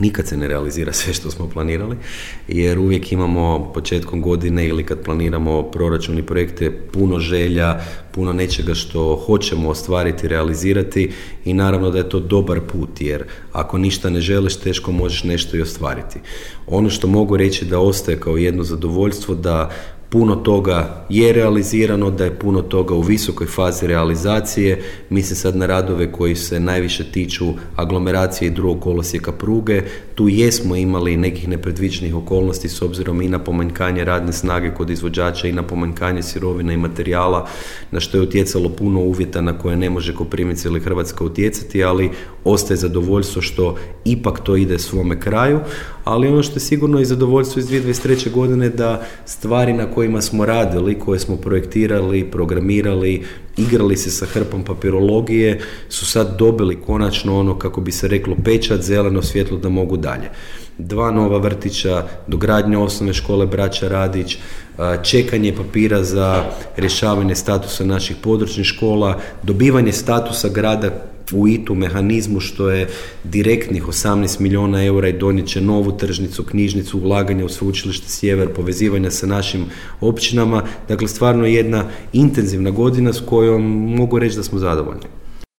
nikad se ne realizira sve što smo planirali, jer uvijek imamo početkom godine ili kad planiramo proračun i projekte puno želja, puno nečega što hoćemo ostvariti, realizirati i naravno da je to dobar put, jer ako ništa ne želiš, teško možeš nešto i ostvariti. Ono što mogu reći da ostaje kao jedno zadovoljstvo, da puno toga je realizirano, da je puno toga u visokoj fazi realizacije. Mislim sad na radove koji se najviše tiču aglomeracije i drugog kolosijeka pruge. Tu jesmo imali nekih nepredviđenih okolnosti s obzirom i na pomanjkanje radne snage kod izvođača i na pomanjkanje sirovina i materijala, na što je utjecalo puno uvjeta na koje ne može Koprivnica ili Hrvatska utjecati, ali ostaje zadovoljstvo što ipak to ide svome kraju. Ali ono što je sigurno i zadovoljstvo iz 2023. godine da stvari na kojima smo radili, koje smo projektirali, programirali, igrali se sa hrpom papirologije, su sad dobili konačno ono, kako bi se reklo, pečat, zeleno svjetlo da mogu dalje. 2 nova vrtića, dogradnja osnovne škole Braća Radić, čekanje papira za rješavanje statusa naših područnih škola, dobivanje statusa grada u ITU mehanizmu, što je direktnih 18 milijuna eura i donijet će novu tržnicu, knjižnicu, ulaganje u Sveučilište Sjever, povezivanja sa našim općinama. Dakle, stvarno jedna intenzivna godina s kojom mogu reći da smo zadovoljni.